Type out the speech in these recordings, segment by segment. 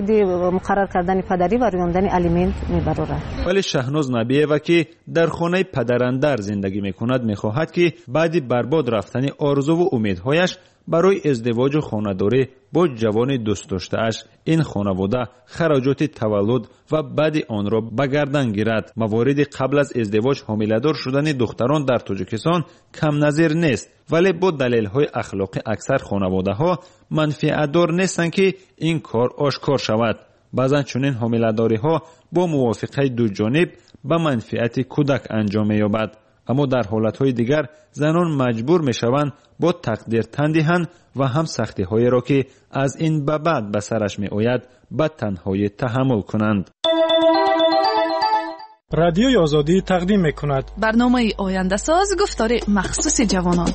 Мавриди муқаррар кардани падарӣ ва рӯёндани алимент мебарорад. Вале Шаҳноз Набиева, ки дар хонаи падарандар зиндагӣ мекунад, мехоҳад, ки баъди барбод рафтани орзуву умедҳояш барои издивоҷу хонадорӣ бо ҷавони дӯстдоштааш ин хонавода хароҷоти таваллуд ва баъди онро ба гардан гирад. Мавориди қабл аз издивоҷ ҳомиладор шудани духтарон дар Тоҷикистон камназир нест, вале бо далелҳои ахлоқӣ аксар хонаводаҳо манфиатдор нестанд, ки ин кор ошкор шавад. Баъзан чунин ҳомиладориҳо бо мувофиқаи дуҷониб ба манфиати кӯдак анҷом меёбад, аммо дар ҳолатҳои дигар занон маҷбур мешаванд бо тақдир тан диҳанд ва ҳам сахтиҳоеро, ки аз ин ба баъд ба сараш меояд, ба танҳоӣ таҳаммул кунанд. Радиои Озодӣ тақдим мекунад барномаи Ояндасоз, гуфтори махсуси ҷавонон.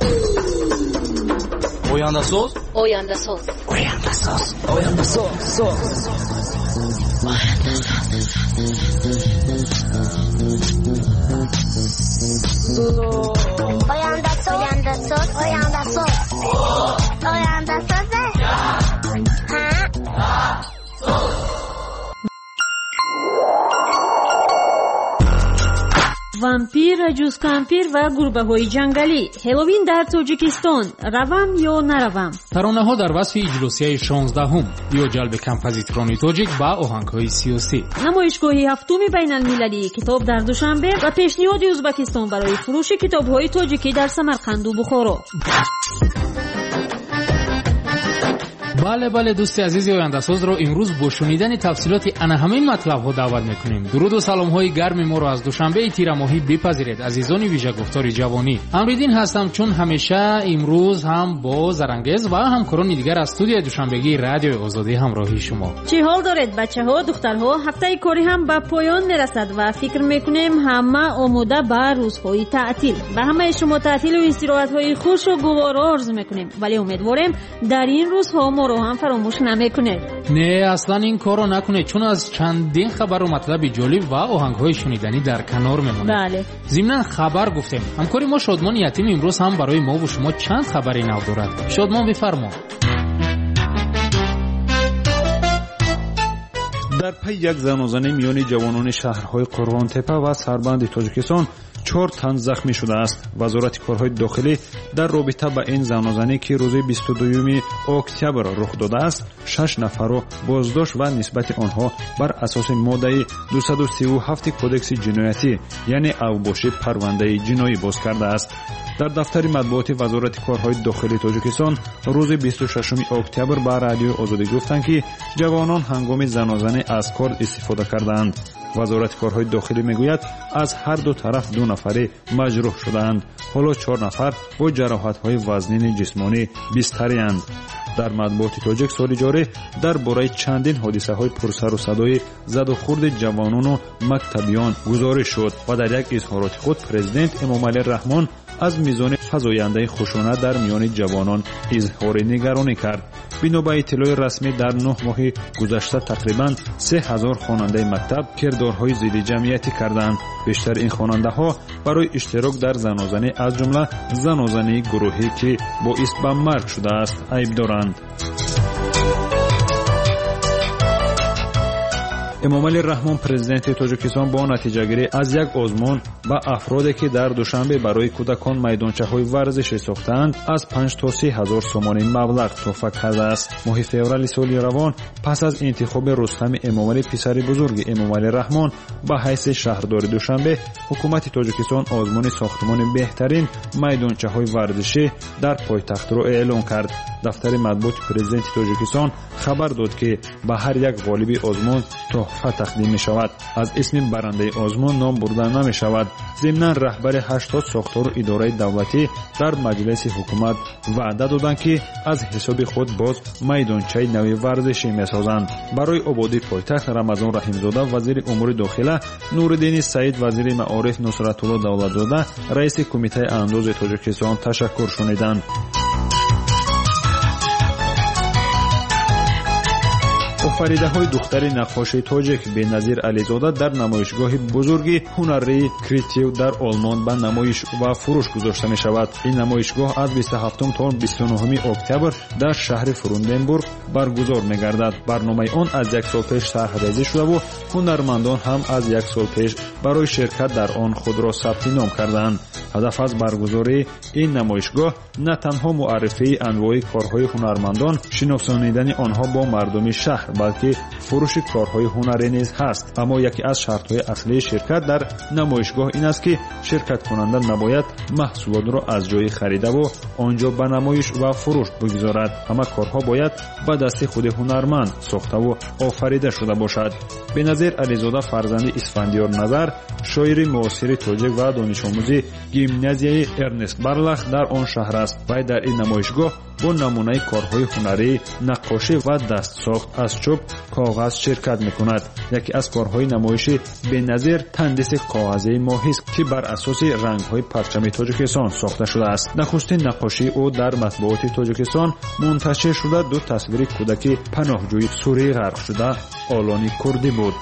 Ояндасоз, Ояндасоз, Ояндасоз, Ояндасоз, Ояндасоз, Ояндасоз, Ояндасоз, Ояндасоз. Вампир, ҷузкампир ва гурбаҳои ҷангалӣ. Ҳеловин дар Тоҷикистон. Равам ё наравам? Таронаҳо дар васфи иҷлосияи 16-ум ё ҷалби композиторони тоҷик ба оҳангҳои сиёсӣ. Намоишгоҳи ҳафтуми байналмилалии китоб дар Душанбе ва пешниҳоди Ӯзбекистон барои фурӯши китобҳои тоҷикӣ дар Самарқанду Бухоро. Бале, бале, дӯсти азизи Ояндасозро имрӯз бо шунидани тафсилоти ана ҳамин матлабҳо даъват мекунем. Дуруду саломҳои гарми моро аз Душанбеи тирамоҳӣ бипазиред, азизони вижагуфтори ҷавонӣ. Амриддин ҳастам, чун ҳамеша имрӯз ҳам бо Зарангез ва ҳамкорони дигар аз студияи душанбегии Радиои Озодӣ ҳамроҳи шумо. Чӣ ҳол доред, бачаҳо, духтарҳо? Ҳафтаи корӣ ҳам ба поён мерасад ва фикр мекунем ҳама омода ба рӯзҳои таътил. Ба ҳамаи шумо таътилу истироҳатҳои хушу гуворо орзу мекунем, вале умедворем дар ин рӯзҳо моро ҳам фаромӯш намекунед. Не, аслан ин корро накунед, чун аз чандин хабару матлаби ҷолиб ва оҳангҳои шуниданӣ дар канор мемонед. Бале. Зимнан хабар гуфтем, ҳамкори мо Шодмони Ятим имрӯз ҳам барои мову шумо чанд хабари нав дорад. Шодмон, бифармо. Дар пайи як занозанӣ миёни ҷавонони шаҳрҳои Қурғонтепа ва Сарбанди Тоҷикистон 4 тан захмӣ шудааст. Вазорати корҳои дохилӣ дар робита ба ин занозанӣ, ки рӯзи 22 октябр рух додааст, 6 нафарро боздошт ва нисбати онҳо бар асоси моддаи 237 кодекси ҷиноятӣ, яъне авбошӣ, парвандаи ҷиноӣ боз кардааст. Дар дафтари матбуоти Вазорати корҳои дохилии Тоҷикистон рӯзи 26 октябр ба Радиои Озодӣ гуфтанд, ки ҷавонон ҳангоми занозанӣ аз корд истифода кардаанд. Вазорати корҳои дохилӣ мегӯяд, аз ҳар ду тараф 2 нафаре маҷрӯҳ шудаанд. Ҳоло 4 нафар бо ҷароҳатҳои вазнини ҷисмонӣ бистариянд. Дар матбуоти тоҷик соли ҷорӣ дар бораи чандин ҳодисаҳои пурсару садои задухурди ҷавонону мактабиён гузориш шуд ва дар як изҳороти худ президент Эмомалӣ Раҳмон аз мизони фазояндаи хушунат дар миёни ҷавонон изҳори нигаронӣ кард. Бино ба иттилои расмӣ, дар 9 моҳи гузашта тақрибан 3000 хонандаи мактаб кирдорҳои зидди ҷамъиятӣ карданд. Бештар ин хонандаҳо барои иштирок дар занозанӣ, аз ҷумла занозании гурӯҳӣ, ки боис ба марг шудааст, айб доранд. Эмомалӣ Раҳмон, президенти Тоҷикистон, бо натиҷагирӣ аз як озмун ба афроде, ки дар Душанбе барои кӯдакон майдончаҳои варзишӣ сохтаанд, аз 5 то 30 ҳазор сомонӣ маблағ тӯҳфа кардааст. Моҳи феврали соли равон пас аз интихоби Рустами Эмомалӣ, писари бузурги Эмомалӣ Раҳмон, ба ҳайси шаҳрдори Душанбе, ҳукумати Тоҷикистон озмуни сохтмони беҳтарин майдончаҳои варзишӣ дар пойтахтро эълон кард. Дафтари матбуоти президенти Тоҷикистон хабар дод, ки ба ҳар як ғолиби озмун тӯҳфа тақдим мешавад. Аз исми барандаи озмун ном бурда намешавад. Зимнан раҳбари 80 сохтору идораи давлатӣ дар маҷлиси ҳукумат ваъда доданд, ки аз ҳисоби худ боз майдончаи нави варзишӣ месозанд. Барои ободии пойтахт Рамазон Раҳимзода, вазири умури дохила, Нуриддини Саид, вазири маориф, Нусратулло Давлатзода, раиси Кумитаи андози Тоҷикистон ташаккур шуниданд. Офаридаҳои духтари наққоши тоҷик Беназир Ализода дар намоишгоҳи бузурги ҳунарии Критив дар Олмон ба намоиш ва фурӯш гузошта мешавад. Ин намоишгоҳ аз 27 то 29 октябр дар шаҳри Фрунденбург баргузор мегардад. Барномаи он аз як сол пеш тарҳрезӣ шудаву ҳунармандон ҳам аз як сол пеш барои ширкат дар он худро сабти ном кардаанд. Ҳадаф аз баргузории ин намоишгоҳ на танҳо муаррифии анвои корҳои ҳунармандон, шиносонидани онҳо бо мардуми шаҳр, балки фурӯши корҳои ҳунарӣ низ ҳаст. Аммо яке аз шартҳои аслии ширкат дар намоишгоҳ ин аст, ки ширкаткунанда набояд маҳсулотро аз ҷои харидаву он ҷо ба намоиш ва фурӯш бигузорад. Ҳама корҳо бояд ба дасти худи ҳунарманд сохтаву офарида шуда бошад. Беназир Ализода фарзанди Исфандиёр Назар, шоири муосири тоҷик ва донишомӯзи гимназияи Эрнест Барлах дар он шаҳр аст. Вай дар ин намоишгоҳ бо намунаи корҳои ҳунарӣ, наққошӣ ва дастсохт аз чӯб, коғаз ширкат мекунад. Яке аз корҳои намоиши Беназир тандиси коғазии моҳист, ки бар асоси рангҳои парчами Тоҷикистон сохта шудааст. Нахустин наққошии ӯ дар матбуоти Тоҷикистон мунташир шуда ду тасвири кӯдаки паноҳҷӯи сурӣ ғарқшуда Олони Курдӣ буд.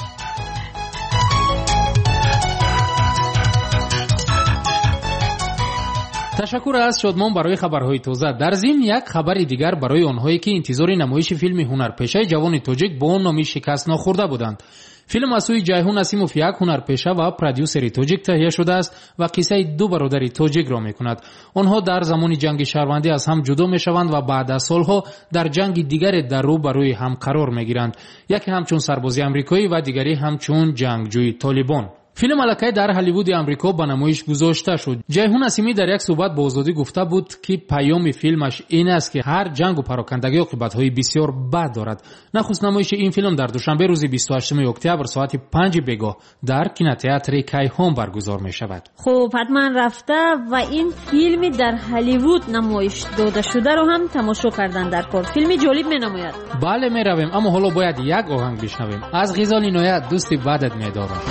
Ташаккур аз Шодмон барои хабарҳои тоза. Дар зимн як хабари дигар барои онҳое, ки интизори намоиши филми ҳунарпешаи ҷавони тоҷик бо номи «Шикаст нохӯрда» буданд. Филм аз сӯи Ҷайҳун Асимов, як ҳунарпеша ва продюсери тоҷик, таҳия шудааст ва қиссаи ду бародари тоҷикро мекунад. Онҳо дар замони ҷанги шаҳрвандӣ аз ҳам ҷудо мешаванд ва баъд аз солҳо дар ҷанги дигаре дар рӯ ба рӯи ҳам қарор мегиранд. Яке ҳамчун сарбози амрикоӣ ва дигаре ҳамчун ҷангҷӯи толибон. Филм аллакай дар Ҳолливуди Амрико ба намоиш гузошта шуд. Ҷайҳун Асимӣ дар як суҳбат бо Озодӣ гуфта буд, ки паёми филмаш ин аст, ки ҳар ҷангу парокандагӣ оқибатҳои бисёр бад дорад. Нахуст намоиши ин филм дар Душанбе рӯзи 28 октябр соати 5 бегоҳ дар кинотеатри Кайҳон баргузор мешавад. Хуб, ҳатман рафта ва ин филми дар Ҳолливуд намоиш додашударо ҳам тамошо кардан дар кор. Филми ҷолиб менамояд. Бале, меравем, аммо ҳоло бояд як оҳанг бишнавем. Аз Ғизоли Иноят «Дӯсти бадат медорам».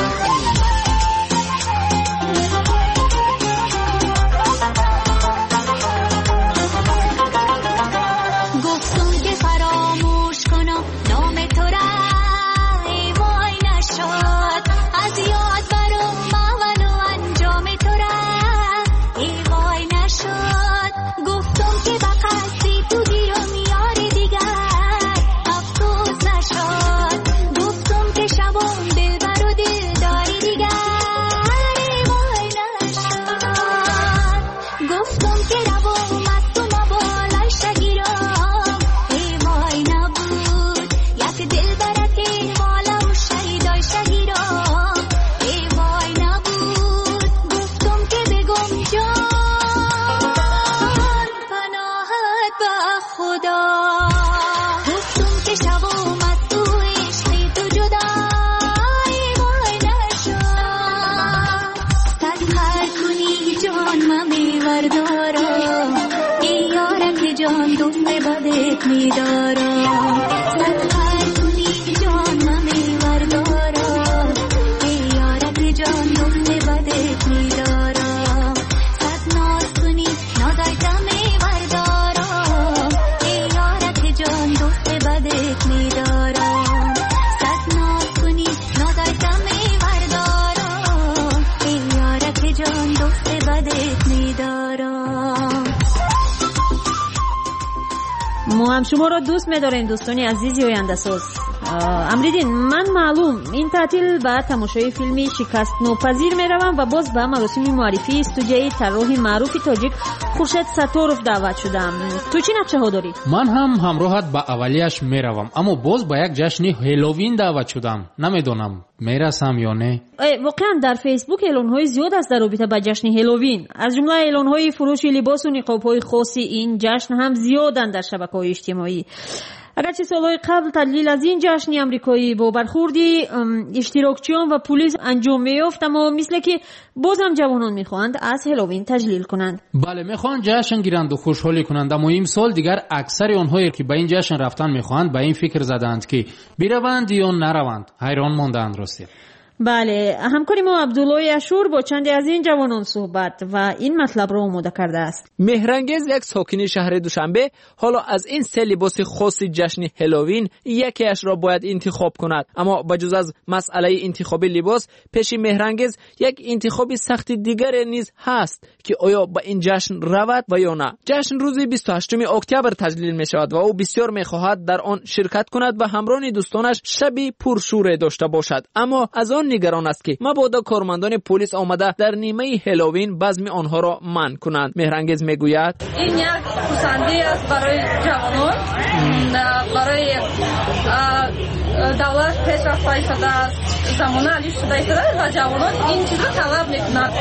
Мо ҳам шуморо дӯст медорем, дӯстони азизи ояндасоз. Амриддин, ман маълум ин таътил ба тамошои филми «Шикастнопазир» меравам ва боз ба маросими муаррифии студияи тарроҳи маъруфи тоҷик Хуршед Сатторов даъват шудам. Ту чӣ нақшаҳо дорӣ? Ман ҳам ҳамроҳат ба аввалияш меравам, аммо боз ба як ҷашни Ҳелловин даъват шудам. Намедонам, мерасам ё не. Воқеан дар Фейсбук эълонҳои зиёд аст дар робита ба ҷашни Ҳелловин. Аз ҷумла эълонҳои фурӯши либосу ниқобҳои хоси ин ҷашн ҳам зиёданд дар шабакаҳои иҷтимоӣ. Агарчи солҳои қабл таҷлил аз ин ҷашни амрикоӣ бо бархурди иштирокчиён ва пулис анҷом меёфт, аммо мисле ки боз ҳам ҷавонон мехоҳанд аз Ҳелловин таҷлил кунанд. Бале, мехоҳанд ҷашн гиранду хушҳолӣ кунанд, аммо имсол дигар аксари онҳое ки ба ин ҷашн рафтан мехоҳанд, ба ин фикр задаанд, ки бираванд ё нараванд. Ҳайрон мондаанд ростӣ. Бале, ҳамкори мо Абдуллои Ашур бо чанде аз ин ҷавонон суҳбат ва ин матлабро омода кардааст. Меҳрангез, як сокини шаҳри Душанбе, ҳоло аз ин се либоси хоси ҷашни Ҳеллоуин якеашро бояд интихоб кунад. Аммо ба ҷуз аз масъалаи интихоби либос, пеши Меҳрангез як интихоби сахти дигаре низ ҳаст, ки оё ба ин ҷашн равад ва ё на. Ҷашн рӯзи 28 октябр таҷлил мешавад ва ӯ бисёр мехоҳад дар он ширкат кунад ва ҳамроҳи дӯстонаш шаби пуршӯре дошта бошад. Аммо аз он нигарон аст, ки мабодо кормандони полис омада дар нимаи Ҳеллоуин базми онҳоро манъ кунанд. Меҳрангез мегӯяд: ин як хурсандӣ аст барои ҷавонон, барои давлат пеш рафта истодааст, замона алиф шуда истодааст ва ҷавонон ин чизро талаб мекунанд.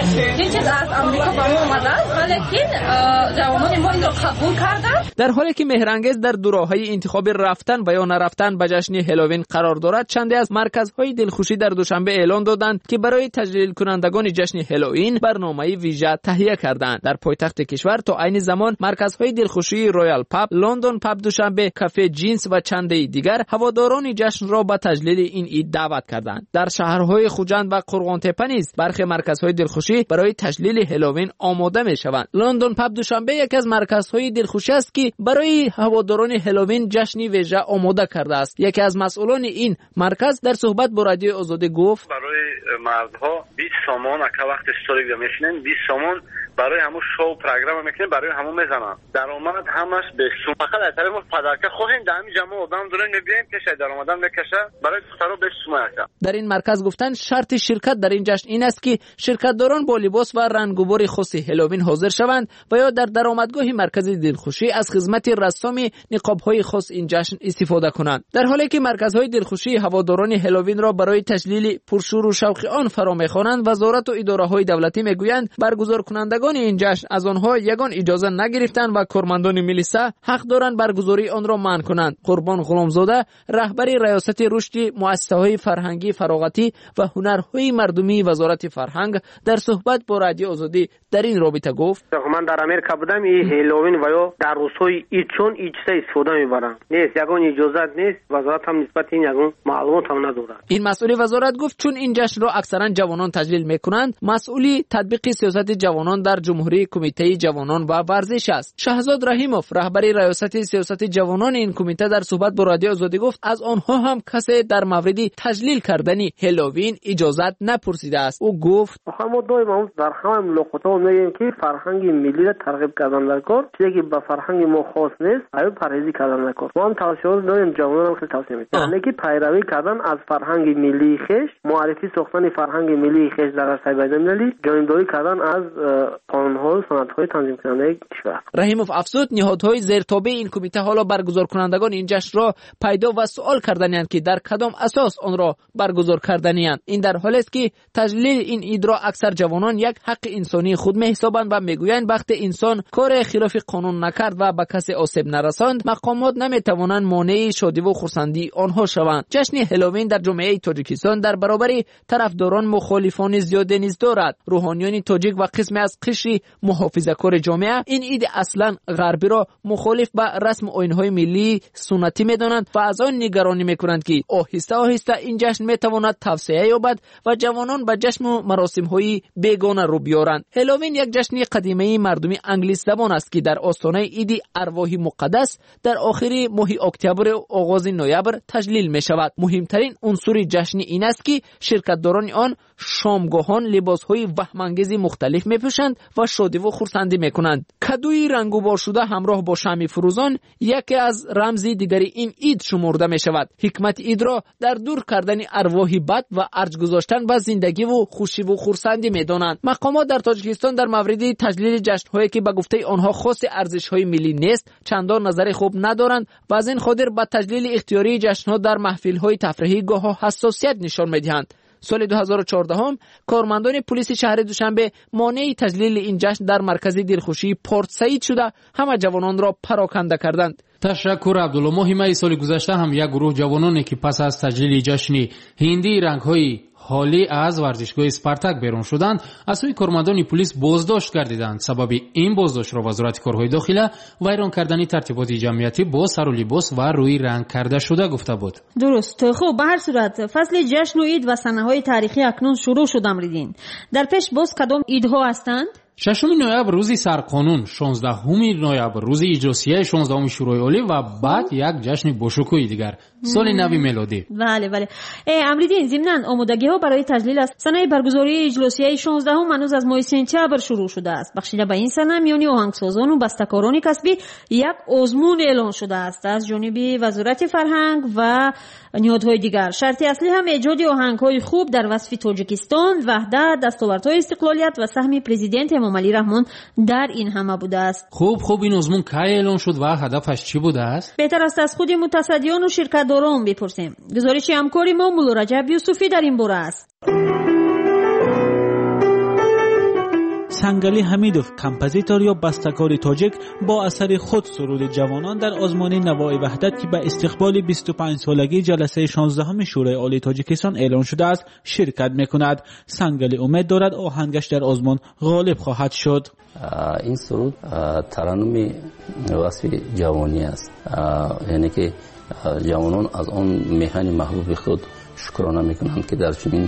Ин чиз аз Амрико ба мо омадааст, валекин ҷавонони мо инро қабул карданд. Дар ҳоле ки Меҳрангез дар дуроҳаи интихоби рафтан ва ё нарафтан ба ҷашни Ҳеллоуин қарор дорад, чанде аз марказҳои дилхушӣ дар Душанбе эълон доданд, ки барои таҷлилкунандагони ҷашни Ҳеллоуин барномаи вижа таҳия карданд. Дар пойтахти кишвар то айни замон марказҳои дилхушии Роял Паб, Лондон Паб Душанбе, кафе Ҷинс ва чандеи дигар ҳаводорони ҷашнро ба таҷлили ин ид даъват карданд. Дар шаҳрҳои Хуҷанд ва Қурғонтепа низ бархе марказҳои дилхушӣ барои таҷлили Ҳеллоуин омода мешаванд. Лондон Паб Душанбе яке аз марказҳои дилхушӣ аст, ки барои ҳаводорони Ҳеллоуин ҷашни вижа омода кардааст. Яке аз масъулони ин марказ дар суҳбат бо Радиои Озодӣ гуфт: барои мардҳо 20 сомон, ака вақти столик мешинем, 20 сомон барои ҳамун шоу программа мекунем, барои ҳамун мезананд. Даромад ҳамаш бесум. Фақат аз тарафи мо падарка хоҳем, дар ҳамин ҷамъ одам дорем, мебием, пеш аз даромадан мекаша, барои духтаро бесум ака. Дар ин марказ гуфтанд, шарти ширкат дар ин ҷашн ин аст, ки ширкатдорон бо либос ва рангубори хоси Ҳеллоуин ҳозир шаванд ва ё дар даромадгоҳи маркази дилхушӣ аз хизмати рассоми ниқобҳои хос ин ҷашн истифода кунанд. Дар ҳоле ки марказҳои дилхушии ҳаводорони Ҳеллоуинро барои таҷлили пуршӯру шавқи он фаро мехонанд, вазорату идораҳои давлатӣ мегӯянд, баргузоркунандагони ин ҷашн аз онҳо ягон иҷоза нагирифтанд ва кормандони милиса ҳақ доранд баргузории онро манъ кунанд. Қурбон Ғуломзода, раҳбари раёсати рушди муассисаҳои фарҳангӣ, фароғатӣ ва ҳунарҳои мардумии Вазорати фарҳанг дар суҳбат бо Радиои Озодӣ дар ин робита гуфт: ман дар Америка будам, ин Ҳеллоуин ва ё дар рӯзҳои ид чун ид чиза истифода мебаранд. Нест, ягон иҷозат нест, вазорат ҳам нисбати ин ягон маълумот ҳам надорад. Ин масъули вазорат гуфт, чун ин ҷашнро аксаран ҷавонон таҷлил мекунанд, масъули татбиқи сиёсати ҷавонон дар ҷумҳурии Кумитаи ҷавонон ва варзиш аст. Шаҳзод Раҳимов, раҳбари раёсати сиёсати ҷавонони ин кумита, дар суҳбат бо Радиои Озодӣ гуфт, аз онҳо ҳам касе дар мавриди таҷлил кардани Ҳеллоуин иҷозат напурсидааст. Ӯ гуфт: мо доим дар ҳама мулоқотҳо мегӯем, ки фарҳанги миллиро тарғиб кардан дар кор, чизе ки ба фарҳанги мо хос нест, аю парҳезӣ кардан дар кор. Мо ҳам тавсияҳо дорем, ҷавононам хеле тавсия медиҳем, яъне ки пайравӣ кардан аз фарҳанги миллии хеш, муаррифӣ сохтани фарҳанги миллии хеш дар арсаи байналмилалӣ, ҷонибдорӣ кардан аз қонунҳо ва санадҳои танзимкунандаи кишвар. Раҳимов афзуд, ниҳодҳои зертобеи ин кумита ҳоло баргузоркунандагони ин ҷашнро пайдо ва суол карданиянд, ки дар кадом асос онро баргузор карданиянд. Ин дар ҳолест, ки таҷлили ин идро аксар ҷавонон як ҳаққи инсонии худ меҳисобанд ва мегӯянд, вақте инсон коре хилофи қонун накард ва ба касе осеб нарасонд, мақомот наметавонанд монеи шодиву хурсандии онҳо шаванд. Ҷашни Ҳеллоуин дар ҷомеаи Тоҷикистон дар баробари тарафдорон мухолифони зиёде низ дорад. Рӯҳониёни тоҷик ва қисме аз қишри муҳофизакори ҷомеа ин иди аслан ғарбиро мухолиф ба расму оинҳои миллии суннатӣ медонанд ва аз он нигаронӣ мекунанд, ки оҳиста оҳиста ин ҷашн метавонад тавсеа ёбад ва ҷавонон ба ҷашну маросимҳои бегона рӯ биёранд. Ҳеллоуин як ҷашни қадимаи мардуми англисзабон аст, ки дар остонаи иди арвоҳи муқаддас дар охири моҳи октябру оғози ноябр таҷлил мешавад. Муҳимтарин унсури ҷашни ин аст, ки ширкатдорони он шомгоҳон либосҳои ваҳмангези мухталиф мепӯшанд ва шодиву хурсандӣ мекунанд. Кадуи рангуборшуда ҳамроҳ бо шамъи фурӯзон яке аз рамзи дигари ин ид шумурда мешавад. Ҳикмати идро дар дур кардани арвоҳи бад ва арҷ гузоштан ба зиндагиву хушиву хурсандӣ медонанд. Мақомот дар Тоҷикистон дар мавриди таҷлили ҷашнҳое, ки ба гуфтаи онҳо хоси арзишҳои миллӣ нест, чандон назари хуб надоранд ва аз ин хотир ба таҷлили ихтиёрии ҷашнҳо дар маҳфилҳои тафриҳӣ гоҳо ҳассосият нишон медиҳанд. Соли 2014 кормандони пулиси шаҳри Душанбе монеи таҷлили ин ҷашн дар маркази дилхушии Порт Саид шуда, ҳама ҷавононро пароканда карданд. Ташаккур, Абдулло. Моҳи майи соли гузашта ҳам як гурӯҳ ҷавононе, ки пас аз таҷлили ҷашни ҳиндии рангҳои ҳолӣ аз варзишгоҳи Спартак берун шуданд, аз сӯи кормандони пулис боздошт гардиданд. Сабаби ин боздоштро Вазорати корҳои дохила вайрон кардани тартиботи ҷамъиятӣ бо сару либос ва рӯи ранг карда шуда гуфта буд. Дуруст. Хуб, ба ҳар сурат фасли ҷашну ид ва санаҳои таърихӣ акнун шурӯъ шуд. Амриддин, дар пеш боз кадом идҳо ҳастанд? 6 ноябр рӯзи сарқонун, 16 ноябр рӯзи иҷлосияи 16 Шӯрои Олӣ ва баъд як ҷашни бошукӯҳи дигар, соли нави мелодӣ. Бале, бале. Амриддин, зимнан омодагиҳо барои таҷлил аз санаи баргузории иҷлосияи 16 ҳанӯз аз моҳи сентябр шурӯъ шудааст. Бахшида ба ин сана миёни оҳангсозону бастакорони касбӣ як озмун эълон шудааст аз ҷониби Вазорати фарҳанг ва ниҳодҳои дигар. Шарти аслӣ ҳам эҷоди оҳангҳои хуб дар васфи Тоҷикистон, ваҳдат, дастовардҳои истиқлолият ва саҳми президент Эмомалӣ Раҳмон дар ин ҳама будааст. Хуб, ин озмун кай эълон шуд ва ҳадафаш чӣ будааст? Беҳтар аст аз худи мутасаддиёну ширкатдорон бипурсем. Гузориши ҳамкори мо Муллораҷаб Юсуфӣ дар ин бора аст. Сангалӣ Ҳамидов, композитор ё бастакори тоҷик, бо асари худ суруди ҷавонон дар озмуни Навои Ваҳдат, ки ба истиқболи 25-солагии ҷаласаи 16 Шӯрои Олии Тоҷикистон эълон шудааст, ширкат мекунад. Сангалӣ умед дорад оҳангаш дар озмун ғолиб хоҳад шуд. Ин суруд тараннуми васфи ҷавонӣ аст, яъне ки ҷавонон аз он меҳани маҳбуби худ шукрона мекунанд, ки дар чунин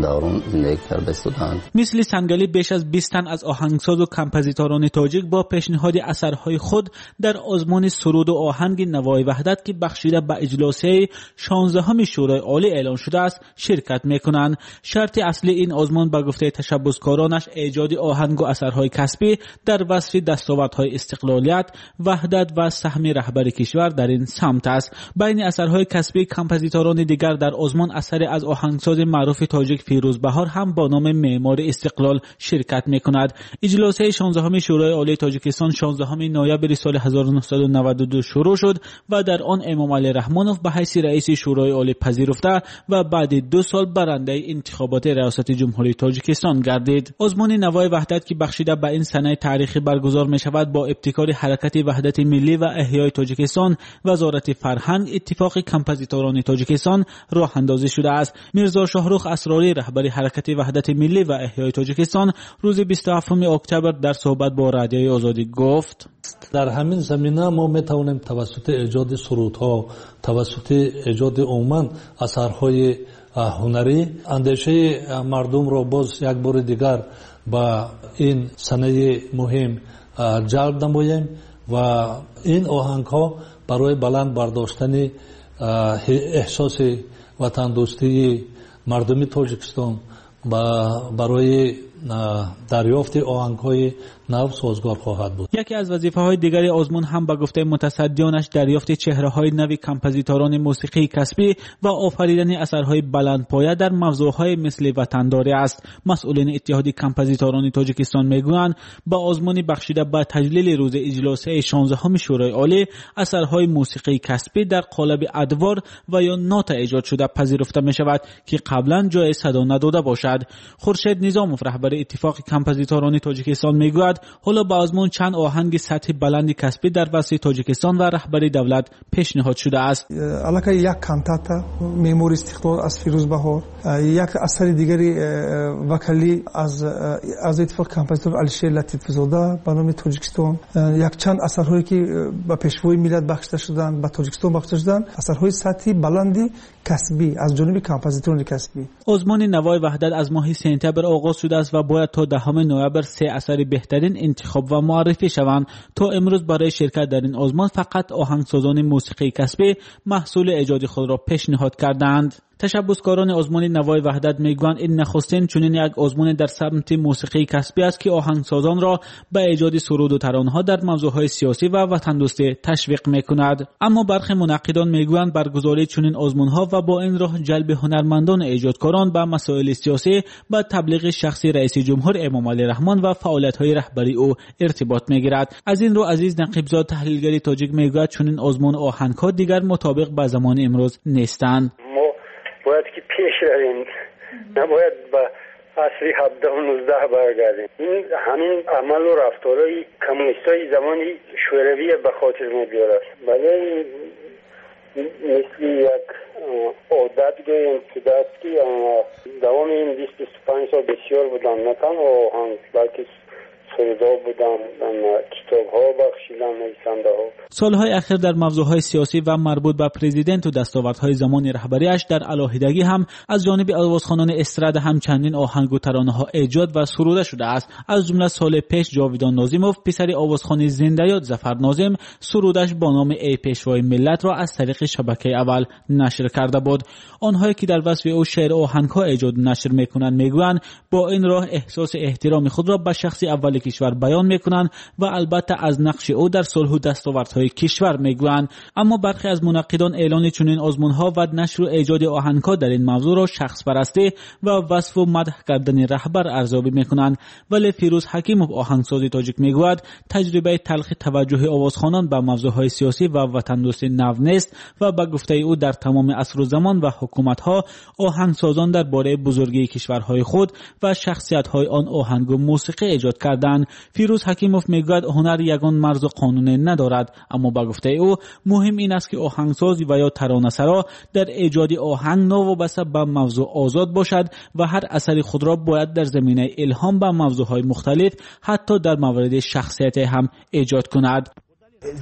даврон зиндагӣ карда истодаанд. Мисли Сангалӣ беш аз 20 тан аз оҳангсозу композиторони тоҷик бо пешниҳоди асарҳои худ дар озмуни суруду оҳанги Навои Ваҳдат, ки бахшида ба иҷлосияи 16 Шӯрои Олӣ эълон шудааст, ширкат мекунанд. Шарти аслии ин озмун ба гуфтаи ташаббускоронаш эҷоди оҳангу асарҳои касбӣ дар васфи дастовардҳои истиқлолият, ваҳдат ва саҳми раҳбари кишвар дар ин самт аст. Байни асарҳои касбии композиторони дигар дар озмун асаре аз оҳангсози маъруфи тоҷик Фирӯз Баҳор ҳам бо номи Меъмори истиқлол ширкат мекунад. Иҷлосияи 16 Шӯрои Олии Тоҷикистон 16 ноябри соли 1992 шурӯъ шуд ва дар он Эмомалӣ Раҳмонов ба ҳайси раиси Шӯрои Олӣ пазируфта ва баъди 2 сол барандаи интихоботи Риёсати Ҷумҳурии Тоҷикистон гардид. Озмуни Навои Ваҳдат, ки бахшида ба ин санаи таърихӣ баргузор мешавад, бо ибтикори Ҳаракати Ваҳдати Миллӣ ва Эҳёи Тоҷикистон, Вазорати фарҳанг, Иттифоқи композиторони Тоҷикистон роҳандозӣ шудааст. Мирзо Шоҳрух Асрорӣ, раҳбари Ҳаракати Ваҳдати Миллӣ ва Эҳёи Тоҷикистон, рӯзи 27 октябр дар суҳбат бо Радиои Озодӣ гуфт: дар ҳамин замина мо метавонем тавассути эҷоди сурудҳо, тавассути эҷоди умуман асарҳои ҳунарӣ андешаи мардумро боз як бори дигар ба ин санаи муҳим ҷалб намоем ва ин оҳангҳо барои баланд бардоштани эҳсоси ватандӯстии мардуми Тоҷикистон барои дарёфти оҳангҳои нав созгор хоҳад буд. Яке аз вазифаҳои дигари озмун ҳам ба гуфтаи мутасаддиёнаш дарёфти чеҳраҳои нави композиторони мусиқии касбӣ ва офаридани асарҳои баландпоя дар мавзӯъҳои мисли ватандорӣ аст. Масъулини Иттиҳоди композиторони Тоҷикистон мегӯянд, ба озмуни бахшида ба таҷлили рӯзи иҷлосияи 16 Шӯрои Олӣ асарҳои мусиқии касбӣ дар қолаби адвор ва ё нота эҷод шуда пазируфта мешавад, ки қаблан ҷои садо надода бошад. Хуршед Низомов, раҳбари Иттифоқи композиторони Тоҷикистон, мегӯяд ҳоло ба озмун чанд оҳанги сатҳи баланди касбӣ дар васфи Тоҷикистон ва раҳбари давлат пешниҳод шудааст. Аллакай як кантата Меъмори истиқлол аз Фирӯз Баҳор, як асари дигари вокалӣ аз Иттифоқи композитор Алишер Латифзода ба номи Тоҷикистон, якчанд асарҳое ки ба пешвои миллат бахшида шуданд, ба Тоҷикистон бахшида шуданд, асарҳои сатҳи баланди касбӣ аз ҷониби композиторони касбӣ. Озмуни Навои Ваҳдат аз моҳи сентябр оғоз шудааст ва бояд то 10 ноябр 3 асари беҳтарин интихоб ва муаррифӣ шаванд. То имрӯз барои ширкат дар ин озмун фақат оҳангсозони мусиқии касбӣ маҳсули эҷоди худро пешниҳод кардаанд. Ташаббускорони озмуни Навои Ваҳдат мегӯянд, ин нахустин чунин як озмуни дар самти мусиқии касбӣ аст, ки оҳангсозонро ба эҷоди суруду таронҳо дар мавзӯъҳои сиёсӣ ва ватандӯстӣ ташвиқ мекунад. Аммо бархе мунаққидон мегӯянд, баргузории чунин озмунҳо ва бо ин роҳ ҷалби ҳунармандону эҷодкорон ба масоили сиёсӣ ба таблиғи шахси раиси ҷумҳур Эмомалӣ Раҳмон ва фаъолиятҳои раҳбарии ӯ иртибот мегирад. Аз ин рӯ Азиз Нақибзод, таҳлилгари тоҷик, мегӯяд чунин озмуну оҳангҳо дигар мутобиқ ба замони имрӯз нестанд. Бояд ки пеш равем, набояд ба асри 17-19 баргардем. Ин ҳамин амалу рафторҳои коммунистҳои замони Шӯравия ба хотир мебиёрад. Бале, мисли як одат гӯем шудааст, ки давоми ин 20-25 сол бисёр буданд, на танҳо оҳанг, балки сурудҳо буданд, китобҳо бахшиданд нависандаҳо. Солҳои ахир дар мавзӯъҳои сиёсӣ ва марбут ба президенту дастовардҳои замони раҳбариаш дар алоҳидагӣ ҳам аз ҷониби овозхонони эстрада ҳам чандин оҳангу таронаҳо эҷод ва суруда шудааст. Аз ҷумла соли пеш Ҷовидон Нозимов, писари овозхони зиндаёд Зафар Нозим, сурудаш бо номи «Эй пешвои миллат»-ро аз тариқи шабакаи аввал нашр карда буд. Онҳое ки дар васфи ӯ шеъру оҳангҳо эҷоду нашр мекунанд, мегӯянд бо ин роҳ эҳсоси эҳтироми худро ба шахси аввали кишвар баён мекунанд ва албатта аз нақши ӯ дар сулҳу дастовардҳои кишвар мегӯянд. Аммо бархе аз мунаққидон эълони чунин озмунҳо ва нашру эҷоди оҳангҳо дар ин мавзӯъро шахспарастӣ ва васфу мадҳ кардани раҳбар арзёбӣ мекунанд. Вале Фирӯз Ҳакимов, оҳангсози тоҷик, мегӯяд таҷрибаи талхи таваҷҷӯҳи овозхонон ба мавзӯъҳои сиёсӣ ва ватандӯстӣ нав нест ва ба гуфтаи ӯ дар тамоми асру замон ва ҳукуматҳо оҳангсозон дар бораи бузургии кишварҳои худ ва шахсиятҳои он оҳангу мусиқӣ эҷод карданд. Фирӯз Ҳакимов мегӯяд ҳунар ягон марзу қонуне надорад, аммо ба гуфтаи ӯ муҳим ин аст ки оҳангсоз ва ё таронасаро дар эҷоди оҳанг новобаста ба мавзӯъ озод бошад ва ҳар асари худро бояд дар заминаи илҳом ба мавзӯъҳои мухталиф ҳатто дар мавриди шахсияте ҳам эҷод кунад.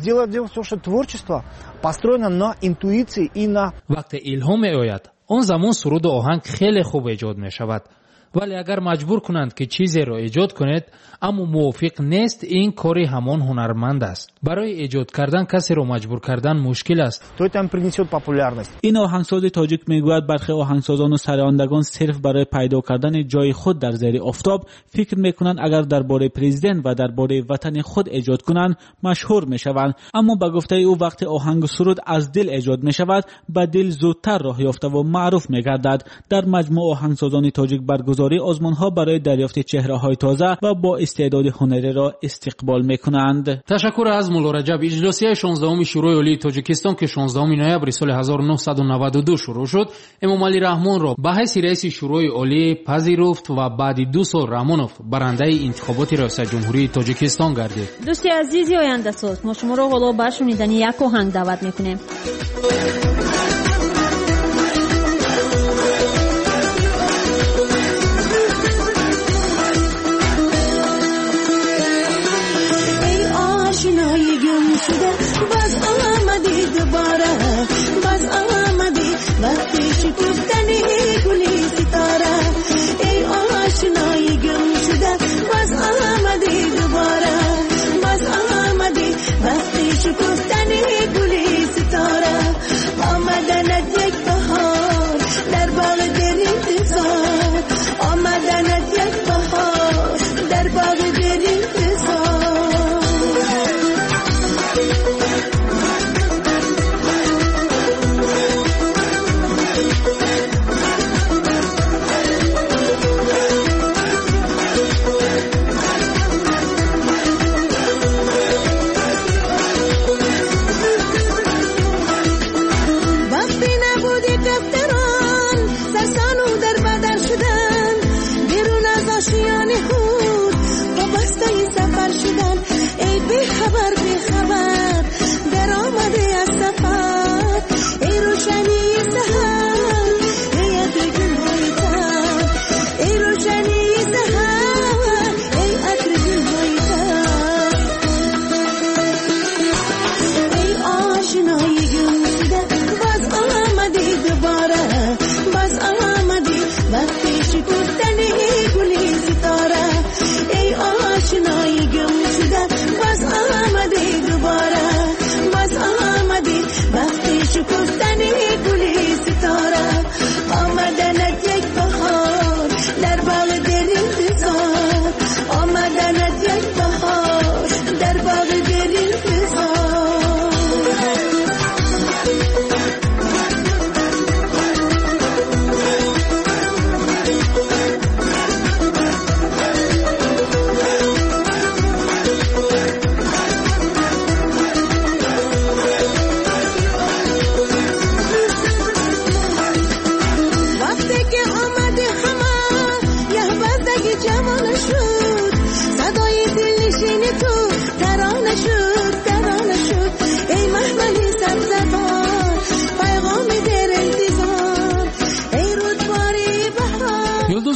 Дело в том, что творчество построено на интуиции и на... Вақте илҳом меояд, он замон суруду оҳанг хеле хуб эҷод мешавад. Вале агар маҷбур кунанд, ки чизеро эҷод кунед, аммо мувофиқ нест, ин кори ҳамон ҳунарманд аст. Барои эҷод кардан касеро маҷбур кардан мушкил аст. То это принесет популярность. Ин оҳангсози тоҷик мегӯяд бархе оҳангсозону сарояндагон сирф барои пайдо кардани ҷои худ дар зери офтоб фикр мекунанд агар дар бораи президент ва дар бораи ватани худ эҷод кунанд, машҳур мешаванд. Аммо ба гуфтаи ӯ вақте оҳангу суруд аз дил эҷод мешавад, ба дил зудтар роҳ ёфтаву маъруф мегардад. Дар маҷмӯъ оҳангсозони тоҷик баргузории озмунҳо барои дарёфти чеҳраҳои тоза ва бо истеъдоди ҳунариро истиқбол мекунанд. Ташаккур аз Мулло Раҷаб. Иҷлосияи 16-уми Шӯрои Олии Тоҷикистон, ки 16 ноябри соли 1992 шурӯъ шуд, Эмомалӣ Раҳмонро ба ҳайси раиси Шӯрои Олӣ пазируфт ва баъди 2 сол Раҳмонов барандаи интихоботи раёсати ҷумҳурии Тоҷикистон гардид. Дӯсти азизи ояндасоз, мо шуморо ҳоло ба шунидани як оҳанг даъват мекунем. باز آمدی دوباره، باز آمدی وقتی شکفتنی گلی ستاره. ای آشنای گم شده، باز آمدی دوباره، باز آمدی وقتی شکفتنی گلی ستاره. آمدنت یک بهار در باغ دل انتظار، آمدنت یک بهار در باغ دل انتظار.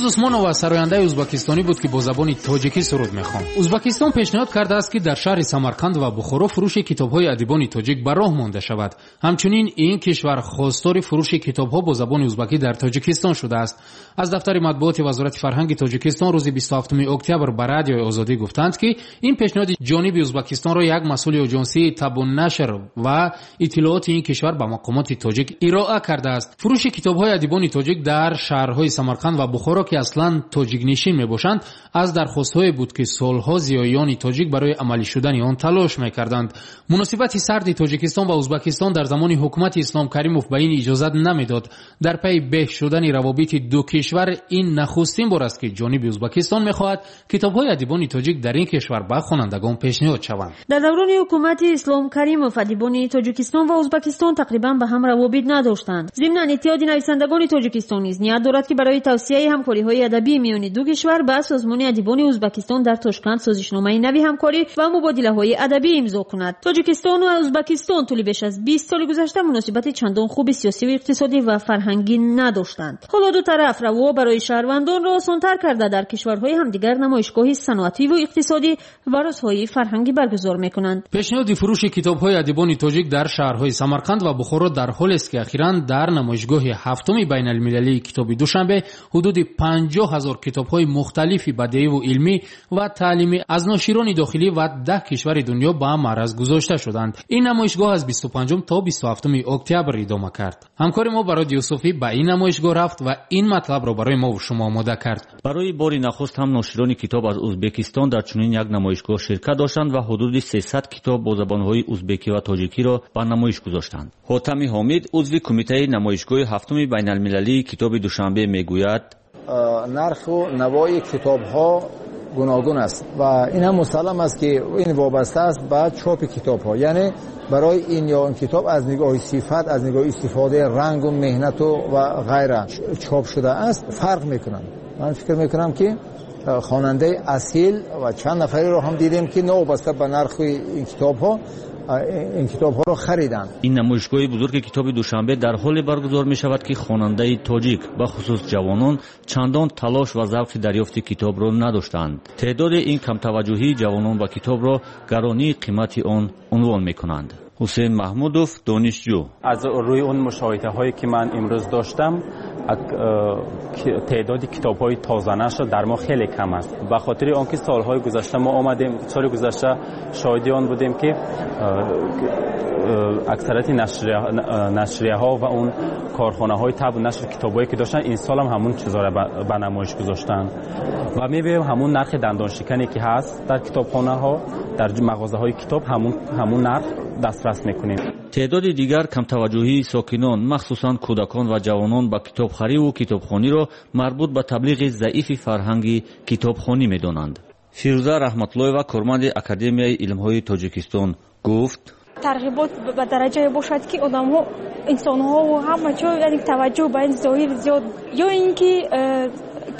Усмонова сарояндаи ӯзбекистонӣ буд, ки бо забони тоҷикӣ суруд мехонд. Ӯзбекистон пешниҳод кардааст, ки дар шаҳри Самарқанд ва Бухоро фурӯши китобҳои адибони тоҷик ба роҳ монда шавад. Ҳамчунин ин кишвар хостори фурӯши китобҳо бо забони ӯзбекӣ дар Тоҷикистон шудааст. Аз дафтари матбуоти Вазорати фарҳанги Тоҷикистон рӯзи 27 октябр ба Радиои Озодӣ гуфтанд, ки ин пешниҳоди ҷониби Ӯзбекистонро як масъули оҷонсии табу нашр ва иттилооти ин кишвар ба мақомоти тоҷик ироа кардааст. Фурӯши китобҳои адибони тоҷик дар шаҳрҳои Самарқанд ва Бухоро, ки аслан тоҷикнишин мебошанд, аз дархостҳое буд, ки солҳо зиёиёни тоҷик барои амалӣ шудани он талош мекарданд. Муносибати сарди Тоҷикистон ва Ӯзбекистон дар замони ҳукумати Ислом Каримов ба ин иҷозат намедод. Дар пайи беҳ шудани равобити ду кишвар ин нахустин бор аст, ки ҷониби Ӯзбекистон мехоҳад китобҳои адибони тоҷик дар ин кишвар ба хонандагон пешниҳод шаванд. Дар даврони ҳукумати Ислом Каримов адибони Тоҷикистон ва Ӯзбекистон тақрибан ба ҳам равобит надоштанд. Зимнан Иттиҳоди нависандагони Тоҷикистон низ ният дорад, ки барои тавсияи ҳамкориҳои адабӣ миёни ду кишвар ба Созмони адибони Ӯзбекистон дар Тошканд созишномаи нави ҳамкорӣ ва мубодилаҳои адабӣ имзо кунад. Тоҷикистон ва Ӯзбекистон тӯли беш аз 20 соли гузашта муносибати чандон хуби сиёсиву иқтисодӣ ва фарҳангӣ надоштанд. Ҳоло ду тараф раво барои шаҳрвандонро осонтар карда дар кишварҳои ҳамдигар намоишгоҳи саноативу иқтисодӣ ва рӯзҳои фарҳангӣ баргузор мекунанд. Пешниҳоди фурӯши китобҳои адибони тоҷик дар шаҳрҳои Самарқанд ва Бухоро дар ҳолест, ки ахиран дар намоишгоҳи ҳафтуми байналмилалии китоби Душанбе ҳудуди 50 000 китобҳои мухталифи бадеиву илмӣ ва таълимӣ аз ноширони дохилӣ ва 10 кишвари дунё ба маъраз гузошта шуданд. Ин намоишгоҳ аз 25 то 27 октябр идома кард. Ҳамкори мо Барод Юсуфӣ ба ин намоишгоҳ рафт ва ин матлабро барои мо ва шумо омода кард. Барои бори нахуст ҳам ноширони китоб аз Ӯзбекистон дар чунин як намоишгоҳ ширкат доштанд ва ҳудуди 300 китоб бо забонҳои ӯзбекӣ ва тоҷикиро ба намоиш гузоштанд. Ҳотами Ҳомид, узви кумитаи намоишгоҳи ҳафтуми байналмилалии китоби Душанбе, мегӯяд: нарху навои китобҳо гуногун аст ва ин ҳам мусаллам аст, ки ин вобаста аст ба чопи китобҳо, яъне барои ин ё он китоб аз нигоҳи сифат, аз нигоҳи истифодаи рангу меҳнату ва ғайра чоп шудааст, фарқ мекунанд. Ман фикр мекунам, ки хонандаи асил ва чанд нафареро ҳам дидем, ки новобаста ба нархи ин китобҳо ин китобҳоро хариданд. Ин намоишгоҳи бузурги китоби Душанбе дар ҳоле баргузор мешавад, ки хонандаи тоҷик, бахусус ҷавонон, чандон талош ва завқи дарёфти китобро надоштанд. Теъдоди ин камтаваҷҷӯҳии ҷавонон ба китобро гаронии қимати он унвон мекунанд. Ҳусейн Маҳмудов, донишҷӯ: аз рӯи он мушоҳидаҳое, ки ман имрӯз доштам, теъдоди китобҳои тозанашр дар мо хеле кам аст. Ба хотири он ки солҳои гузашта мо омадем, соли гузашта шоҳиди он будем, ки аксарияти нашрияҳо ва он корхонаҳои табу нашр китобҳое, ки доштанд, ин сол ҳам ҳамун чизҳоро ба намоиш гузоштанд ва мебинем ҳамун нархи дандоншикане, ки ҳаст дар китобхонаҳо, дар мағозаҳои китоб, ҳамун нарх дастрас мекунем. Теъдоди дигар камтаваҷҷӯҳии сокинон, махсусан кӯдакон ва ҷавонон ба китобхариву китобхониро марбут ба таблиғи заифи фарҳанги китобхонӣ медонанд. Фирӯза Раҳматуллоева, корманди Академияи илмҳои Тоҷикистон, гуфт: тарғибот ба дараҷае бошад, ки одамҳо, инсонҳо ҳама ҷо, яъне таваҷҷӯҳ ба ин зоҳир зиёд, ё ин ки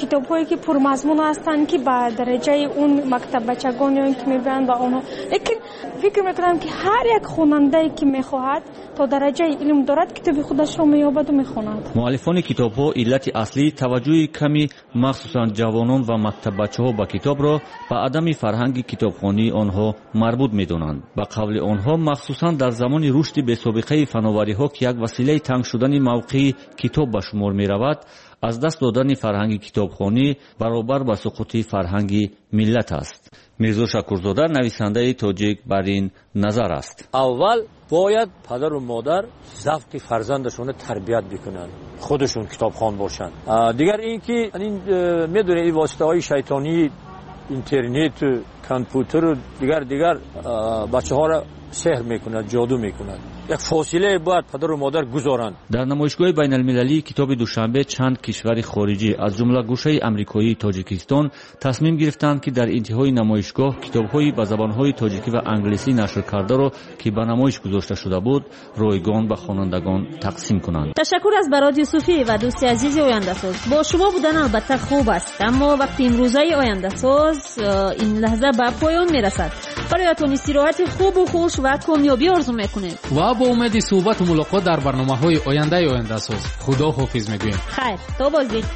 китобҳое, ки пурмазмун ҳастанд, ки ба дараҷаи он мактаббачагон ё ин ки мебаранд ба онҳо. Лекин фикр мекунам, ки ҳар як хонандае, ки мехоҳад, то дараҷаи илм дорад, китоби худашро меёбаду мехонад. Муаллифони китобҳо иллати аслии таваҷҷӯҳи ками махсусан ҷавонон ва мактаббачаҳо ба китобро ба адами фарҳанги китобхонии онҳо марбут медонанд. Ба қавли онҳо, махсусан дар замони рушди бесобиқаи фановариҳо, ки як василаи танг шудани мавқеи китоб ба шумор меравад, аз даст додани фарҳанги китобхонӣ баробар ба суқути фарҳанги миллат аст. Мирзо Шакурзода, нависандаи тоҷик, бар ин назар аст. Аввал бояд падару модар завқи фарзандашонро тарбият бикунанд, худашон китобхон бошанд. Дигар ин ки медонед, ин воситаҳои шайтонии интернету компютеру дигар бачаҳоро сеҳр мекунад, ҷоду мекунад. Як фосилае бояд падару модар гузоранд. Дар намоишгоҳи байналмилалии китоби Душанбе чанд кишвари хориҷӣ, аз ҷумла гӯшаи амрикоии Тоҷикистон, тасмим гирифтанд, ки дар интиҳои намоишгоҳ китобҳои ба забонҳои тоҷикӣ ва англисӣ нашр кардаро, ки ба намоиш гузошта шуда буд, ройгон ба хонандагон тақсим кунанд. Ташаккур аз Барод Юсуфӣ ва дӯсти азизи Ояндасоз. Бо шумо будан албатта хуб аст, аммо вақти имрӯзаи Ояндасоз ин лаҳза ба поён мерасад. Бароятон истироҳати хубу хуш ва комёбӣ орзу мекунем ва бо умеди суҳбату мулоқот дар барномаҳои ояндаи Ояндасоз худо ҳофиз мегӯем. Хайр, то боздид.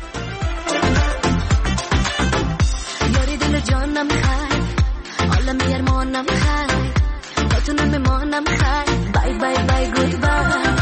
ҷонам хайр, олами армонам хайр, бо ту намемонам хайр. Bye, bye, bye, goodbye.